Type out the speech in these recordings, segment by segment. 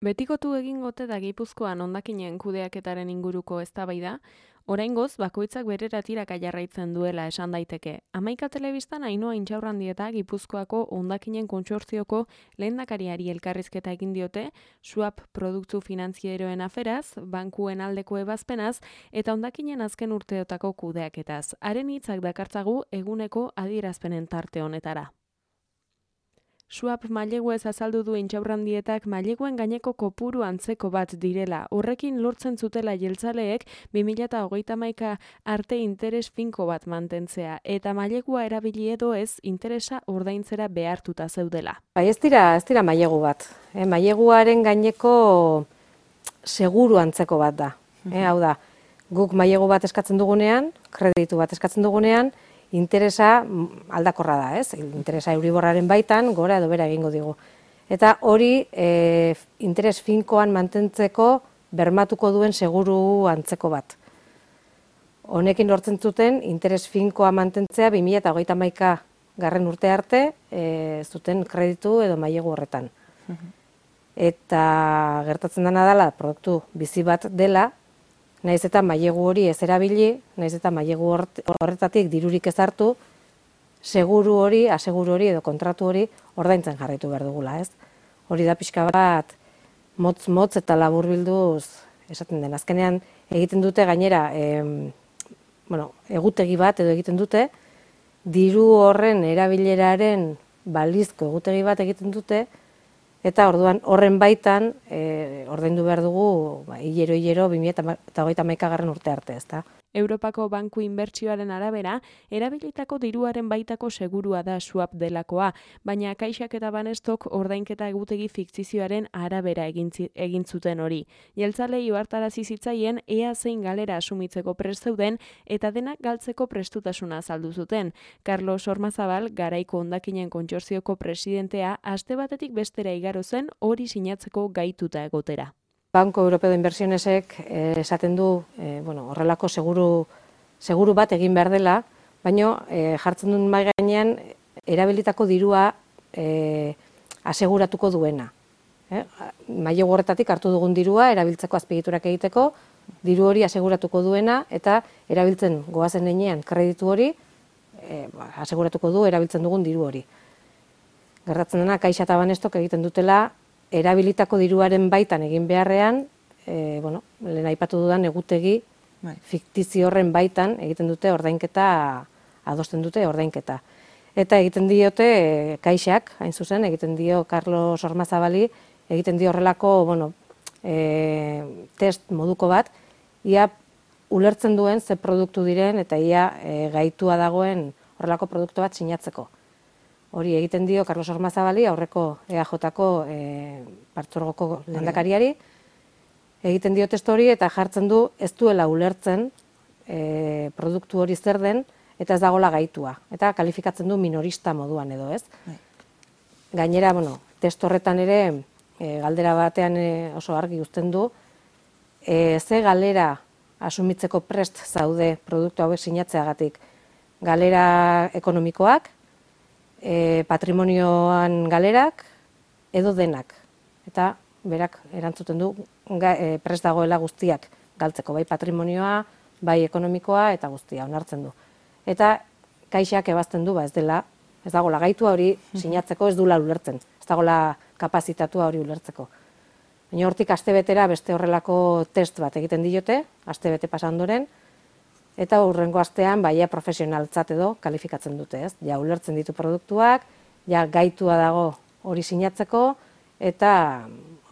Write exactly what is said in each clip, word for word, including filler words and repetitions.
Betikotu egingote da Gipuzkoan hondakinen kudeaketaren inguruko eztabaida, oraingoz bakoitzak berera tiraka jarraitzen duela esan daiteke. Hamaika telebistan Ainhoa Intxaurrandieta Gipuzkoako hondakinen kontsortzioko lehendakariari elkarrizketa egin diote, Swap produktu finantzieroen aferaz, bankuen aldeko ebazpenaz eta hondakinen azken urteotako kudeaketaz. Haren hitzak dakartzagu eguneko adierazpenen tarte honetara. Swap maileguez azaldu du Intxaurrandietak maileguen gaineko kopuru antzeko bat direla. Horrekin lortzen zutela jeltzaleek bi mila hogeita hamaika arte interes finko bat mantentzea eta mailegua erabili edo ez interesa ordaintzera behartuta zeudela. Bai, ez dira, ez dira mailegu bat. Eh, maileguaren gaineko seguru antzeko bat da. Eh, hau da, guk mailegu bat eskatzen dugunean, kreditu bat eskatzen dugunean, interesa aldakorra da, ez? Interesa Euriborraren baitan, gora edo bera egingo digu. Eta hori e, interes finkoan mantentzeko bermatuko duen seguru antzeko bat. Honekin lortzen zuten interes finkoa mantentzea bi mila hogeita hamaika garren urte arte e, zuten kreditu edo mailegu horretan. Eta gertatzen dena dela, produktu bizi bat dela, naiz eta mailegu hori ez erabili, naiz eta mailegu horretatik dirurik ez hartu, seguru hori, aseguru hori edo kontratu hori ordaintzen jarraitu behar dugula, ez? Hori da pixka bat motz-motz eta laburbilduz esaten den. Azkenean egiten dute gainera, em, bueno, egutegi bat edo egiten dute, diru horren erabileraren balizko egutegi bat egiten dute, eta orduan horren baitan e, ordaindu behar dugu ba, hilero-hilero bi mila hogeita hamaika garren urte arte, ezta? Europako Banku Inbertsioaren arabera, erabilitako diruaren baitako segurua da Swap delakoa, baina Kaixak eta Banestok ordainketa egutegi fiktizioaren arabera egin, egin zuten hori. Jeltzalei ohartarazi zitzaien ea zein galera asumitzeko prest zeuden eta denak galtzeko prestutasuna azaldu zuten. Carlos Ormazabal, garaiko hondakinen kontsortzioko presidentea, aste batetik bestera igaro zen hori sinatzeko gaituta egotera. Banco Europeo de Inversionesek eh, esaten du eh, bueno, horrelako seguru, seguru bat egin behar dela, baina eh, jartzen duen mai gainean erabilitako dirua eh, aseguratuko duena. Eh? Mailegu horretatik hartu dugun dirua erabiltzeko azpiegiturak egiteko, diru hori aseguratuko duena eta erabiltzen goazen heinean kreditu hori eh, aseguratuko du erabiltzen dugun diru hori. Gertatzen dena Kaixa eta Banestok egiten dutela erabilitako diruaren baitan egin beharrean, e, bueno, lehen aipatu dudan egutegi bai. Fiktizio horren baitan egiten dute ordainketa, adosten dute ordainketa. Eta egiten diote e, Kaixak, hain zuzen, egiten dio Carlos Ormazabali, egiten dio horrelako, bueno, e, test moduko bat, ia ulertzen duen ze produktu diren eta ia e, gaitua dagoen horrelako produktu bat sinatzeko. Hori egiten dio Carlos Ormazabali, aurreko E A Jko e, partzuergoko lehendakariari, egiten dio testu hori eta jartzen du ez duela ulertzen e, produktu hori zer den eta ez dagoela gaitua. Eta kalifikatzen du minorista moduan edo, ez? Gainera, bueno, testu horretan ere e, galdera batean e, oso argi uzten du, e, ze galera asumitzeko prest zaude produktu hauek sinatzeagatik. Galera ekonomikoak, E, patrimonioan galerak edo denak. Eta berak erantzuten du ga, e, prest dagoela guztiak galtzeko, bai patrimonioa, bai ekonomikoa eta guztia onartzen du. Eta Kaixak ebazten du, ba ez dela, ez dagoela gaitua hori sinatzeko ez dula ulertzen, ez dagoela kapazitatua hori ulertzeko. Baina hortik astebetera beste horrelako test bat egiten diote, astebete pasa ondoren, eta hurrengo astean baia profesionaltzat edo kalifikatzen dute, ez? Ja ulertzen ditu produktuak, ja gaitua dago hori sinatzeko eta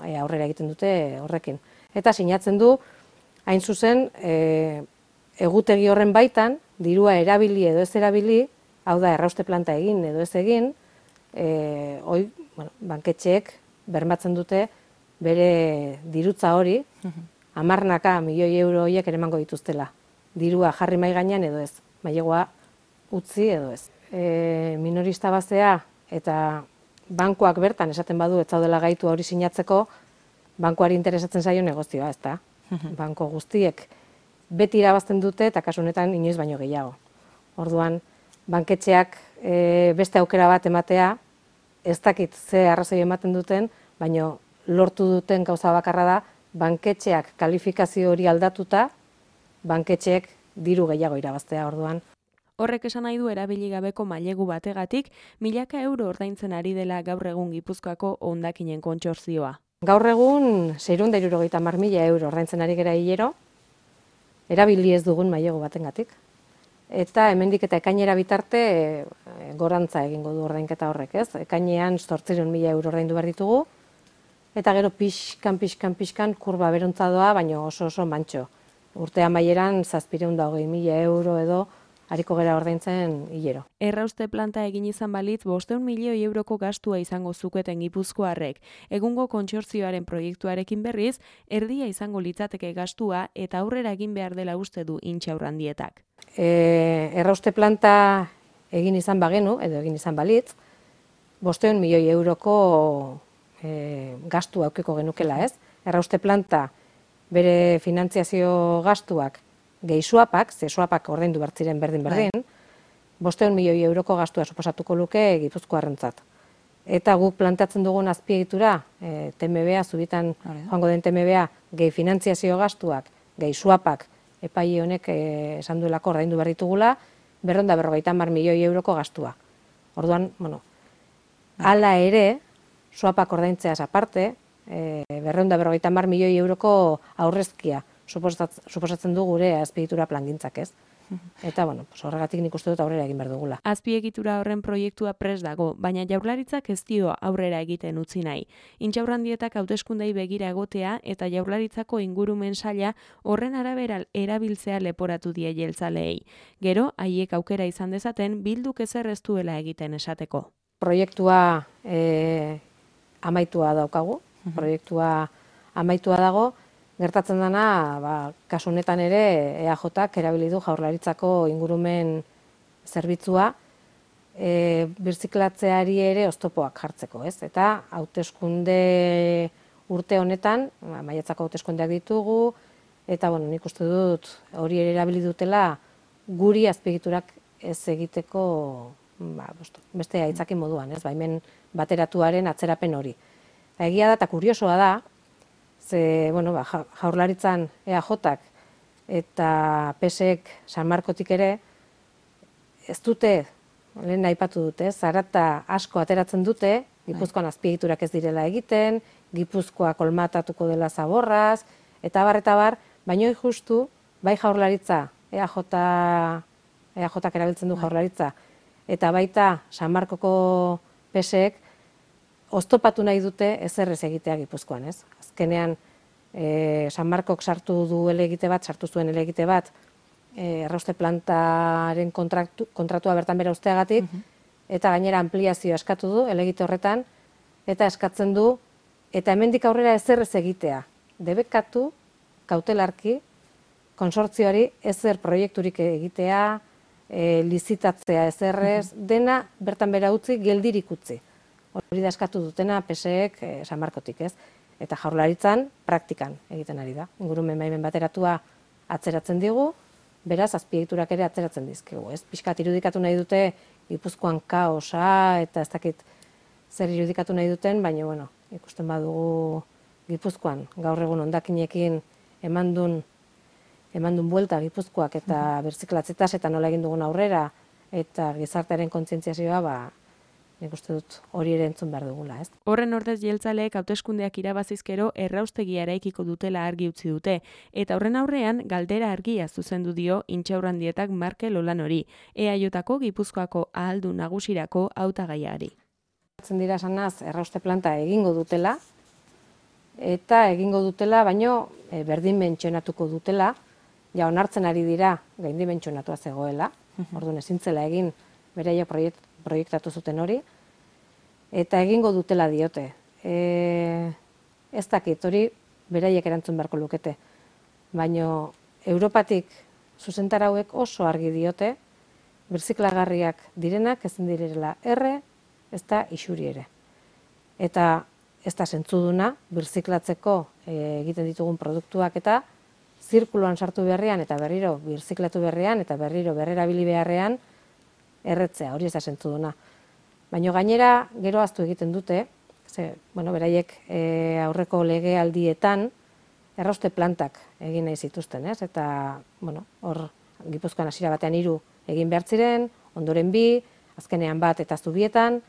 e, aurrera egiten dute horrekin. Eta sinatzen du hain zuzen e, egutegi horren baitan dirua erabili edo ez erabili, hau da errauste planta egin edo ez egin, e, hoi, bueno, banketxeek bermatzen dute bere dirutza hori, hamarnaka milioi euro horiek ere emango dituztela. Dirua jarri mai gainean edo ez, mailegua utzi edo ez. E, minorista bazea eta bankuak bertan esaten badu ez zaudela gaitu hori sinatzeko, bankuari interesatzen zaio negozioa, ezta? Banko guztiek beti irabazten dute eta kasu honetan inoiz baino gehiago. Orduan, banketxeak e, beste aukera bat ematea, ez dakit ze arrazoi ematen duten, baino lortu duten gauza bakarra da, banketxeak kalifikazio hori aldatuta, banketxeek diru gehiago irabaztea orduan. Horrek esan nahi du erabili gabeko mailegu bategatik, milaka euro ordaintzen ari dela gaur egun Gipuzkoako hondakinen kontsortzioa. Gaur egun seiehun eta hirurogeita hamar mila euro ordaintzen ari gera hilero, erabili ez dugun mailegu batengatik. Eta hemendik eta ekainera bitarte e, gorantza egingo du ordainketa horrek, ez? Ekainean zortziehun mila euro ordaindu behar ditugu, eta gero pixkan, pixkan, pixkan kurba berontza doa, baina oso oso mantxo. Urte amaieran zazpiehun eta hogei mila euro edo hariko gera ordaintzen hilero. Errauste planta egin izan balitz bostehun milioi euroko gastua izango zuketen Gipuzkoarrek. Egungo kontsortzioaren proiektuarekin berriz, erdia izango litzateke gastua eta aurrera egin behar dela uste du Intxaurrandietak. E, errauste planta egin izan bagenu, edo egin izan balitz, bostehun milioi euroko e, gastu aukeko genukela, ez? Errauste planta bere finantziazio gastuak gehi suapak, ze suapak ordaindu bertziren berdin-berdin, bostehun milioi euroko gastua suposatuko luke Gipuzkoarrentzat. Eta guk planteatzen dugun azpiegitura, e, T M B A, zubitan joango den T M B A, gehi finantziazio gastuak, gehi suapak, epai honek e, esan duelako ordaindu behar ditugula, berrehun eta berrogeita hamar milioi euroko gastua. Orduan, bueno, hala ere, suapak ordaintzeaz aparte, e, berrehun eta berrogeita hamar milioi euroko aurrezkia suposatzen du gure azpiegitura plangintzak, ez? Eta, bueno, horregatik nik uste dut aurrera egin behar dugula. Azpiegitura horren proiektua prest dago, baina Jaurlaritzak ez dio aurrera egiten utzi nahi. Intxaurrandietak hauteskundei begira egotea eta Jaurlaritzako ingurumen saila horren arabera erabiltzea leporatu die jeltzaleei. Gero, haiek aukera izan dezaten bilduk ezer ez duela egiten esateko. Proiektua e, amaitua daukagu, proiektua amaitua dago, gertatzen dena, ba, kasu honetan ere E A Jak erabili du Jaurlaritzako ingurumen zerbitzua e, birziklatzeari ere oztopoak jartzeko, ez? Eta hauteskunde urte honetan, ba, maiatzako hauteskundeak ditugu, eta bueno, nik uste dut hori ere erabili dutela guri azpiegiturak ez egiteko ba, beste aitzaki moduan, ez? Baimen bateratuaren atzerapen hori. Eta egia da eta kuriosoa da, ze, bueno, ba, Jaurlaritzan E A Jak eta P S ek San Markotik ere ez dute, lehen aipatu dute, zarata asko ateratzen dute, Gipuzkoan azpiegiturak ez direla egiten, Gipuzkoa kolmatatuko dela zaborraz, eta bar, eta bar, baino justu, bai Jaurlaritza, E A J, E A Jak erabiltzen du Jaurlaritza, eta baita San Markoko P S ek oztopatu nahi dute ezer ez egitea Gipuzkoan, ez? Azkenean, e, San Markok sartu du helegite bat, sartu zuen helegite bat, e, errauste plantaren kontraktu, kontratua bertan bera usteagatik, eta gainera ampliazioa eskatu du helegite horretan, eta eskatzen du, eta hemendik aurrera ezer ez egitea. Debekatu, kautelarki, konsortzioari ezer proiekturik egitea, e, lizitatzea ezerrez, dena bertan bera utzi, geldirik utzi. Hori da eskatu dutena P S ek e, San Markotik, ez? Eta Jaurlaritzan praktikan egiten ari da. Ingurumen baimen bateratua atzeratzen digu, beraz azpiegiturak ere atzeratzen dizkigu, ez? Pixkat irudikatu nahi dute Gipuzkoan kaosa eta ez dakit zer irudikatu nahi duten, baina bueno, ikusten badugu Gipuzkoan gaur egun hondakinekin emandun emandun buelta Gipuzkoak eta birziklatzetaz eta nola egin dugun aurrera eta gizartearen kontzientziazioa, ba nik uste dut hori ere entzun behar dugula, ez? Horren ordez jeltzaleek hauteskundeak irabazizkero erraustegia eraikiko dutela argi utzi dute, eta horren aurrean galdera argia zuzendu dio Intxaurrandietak Markel Olanori, E A Jko Gipuzkoako ahaldun nagusirako hautagaiari. Dira sanaz, errauste planta egingo dutela, eta egingo dutela, baino e, berdin mentxonatuko dutela, ja onartzen ari dira gaindi mentxonatua zegoela, orduan ezintzela egin beraiek proiekt, proiektatu zuten hori, eta egingo dutela diote. E, ez dakit, hori beraiek erantzun beharko lukete, baino Europatik zuzentarauek oso argi diote, birziklagarriak direnak ezin direla erre, ez da isuri ere. Eta ez da zentzuduna, birziklatzeko e, egiten ditugun produktuak eta zirkuloan sartu beharrean eta berriro birziklatu beharrean eta berriro berrerabili beharrean erretzea, hori ez da zentzuduna. Baina gainera gero ahaztu egiten dute, Ze, bueno, beraiek e, aurreko legealdietan errauste plantak egin nahi zituzten, ez? Eta, bueno, hor Gipuzkoan hasiera batean hiru egin behar ziren, ondoren bi, azkenean bat eta Zubietan,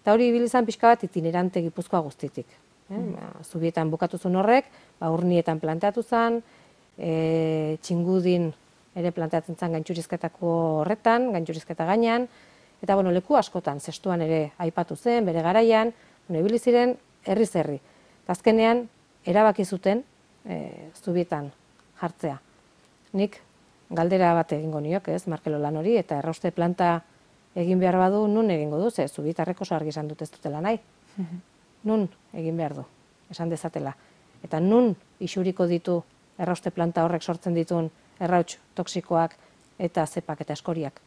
eta hori ibili izan pixka bat itinerante Gipuzkoa guztitik. Eh? Mm. Zubietan bukatu zuen horrek, ba, Urnietan planteatu zen, e, Txingudin ere planteatzen zen gaintxurizketako horretan, gaintxurizketa gainean, eta bueno, leku askotan, zestuan ere aipatu zen, bere garaian, bueno, ibili ziren herriz herri. Eta azkenean, erabaki zuten e, Zubietan jartzea. Nik galdera bat egingo niok, ez, Markelo lan hori, eta errauste planta egin behar badu, nun egingo du, ze Zubietarrek oso argi esan dut ez dutela nahi. Nun egin behar du, esan dezatela. Eta nun isuriko ditu errauste planta horrek sortzen ditun errauts toksikoak eta zepak eta eskoriak.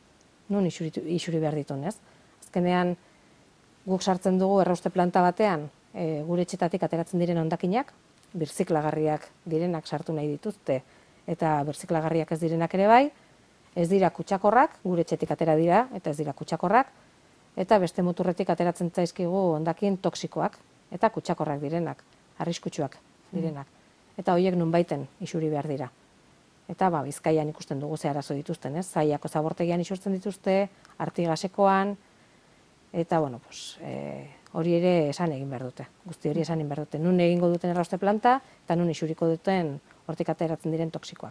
Nun isuri, isuri behar ditun, ez? Azkenean, guk sartzen dugu errauste planta batean, e, gure etxetatik ateratzen diren hondakinak, birziklagarriak direnak sartu nahi dituzte, eta birziklagarriak ez direnak ere bai, ez dira kutsakorrak, gure etxetik atera dira, eta ez dira kutsakorrak, eta beste muturretik ateratzen zaizkigu hondakin toksikoak, eta kutsakorrak direnak, arriskutsuak direnak. Eta horiek nunbaiten isuri behar dira. Eta ba, Bizkaian ikusten dugu ze arazo dituzten, ez? Zaiako zabortegian isurtzen dituzte, Artigasekoan, eta bueno, pues, e, hori ere esan egin behar dute. Guzti hori esan egin behar dute. Nun egingo duten errauste planta, eta nun isuriko duten hortik ateratzen diren toksikoak.